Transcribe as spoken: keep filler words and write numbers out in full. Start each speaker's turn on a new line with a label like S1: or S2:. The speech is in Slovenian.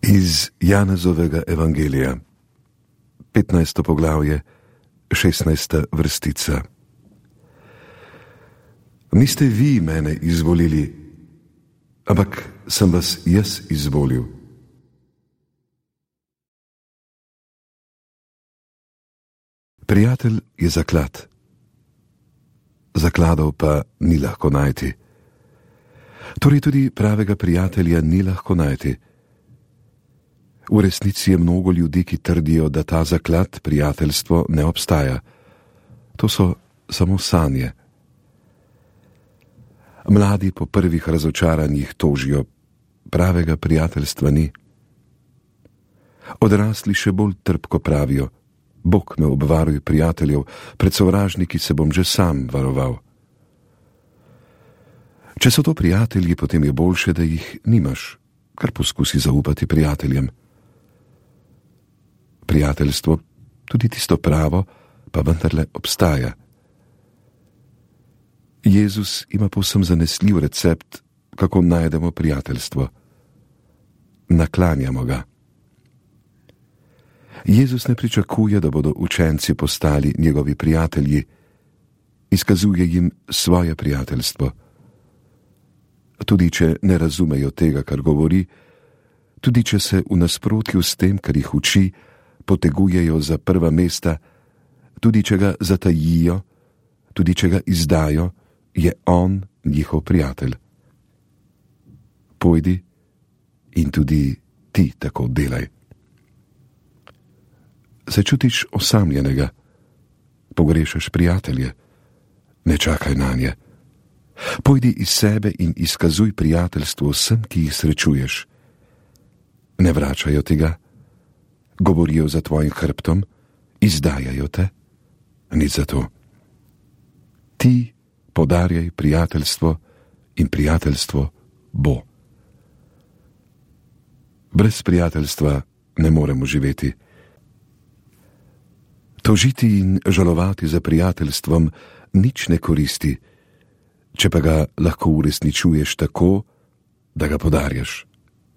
S1: Iz Janezovega evangelija, petnajsto poglavje, šestnajsta vrstica. Niste vi mene izvolili, ampak sem vas jaz izvolil. Prijatelj je zaklad, zakladov pa ni lahko najti. Torej tudi pravega prijatelja ni lahko najti. V resnici je mnogo ljudi, ki trdijo, da ta zaklad, prijateljstvo, ne obstaja. To so samo sanje. Mladi po prvih razočaranjih tožijo, pravega prijateljstva ni. Odrasli še bolj trpko pravijo, Bog me obvaruj prijateljev, pred sovražniki se bom že sam varoval. Če so to prijatelji, potem je boljše, da jih nimaš, kar poskusi zaupati prijateljem. Prijateljstvo, tudi tisto pravo, pa vendarle obstaja. Jezus ima povsem zanesljiv recept, kako najdemo prijateljstvo. Naklanjamo ga. Jezus ne pričakuje, da bodo učenci postali njegovi prijatelji, izkazuje jim svoje prijateljstvo. Tudi če ne razumejo tega, kar govori, tudi če se v nasprotju s tem, kar jih uči, potegujejo za prva mesta, tudi če ga zatajijo, tudi če ga izdajo, je on njihov prijatelj. Pojdi in tudi ti tako delaj. Se čutiš osamljenega, pogrešaš prijatelje, ne čakaj nanje. Pojdi iz sebe in izkazuj prijateljstvo vsem, ki jih srečuješ. Ne vračajo tega, govorijo za tvojim hrbtom, izdajajo te, nič za to. Ti podarjaj prijateljstvo in prijateljstvo bo. Brez prijateljstva ne moremo živeti. Tožiti in žalovati za prijateljstvom nič ne koristi, če pa ga lahko uresničuješ tako, da ga podarjaš.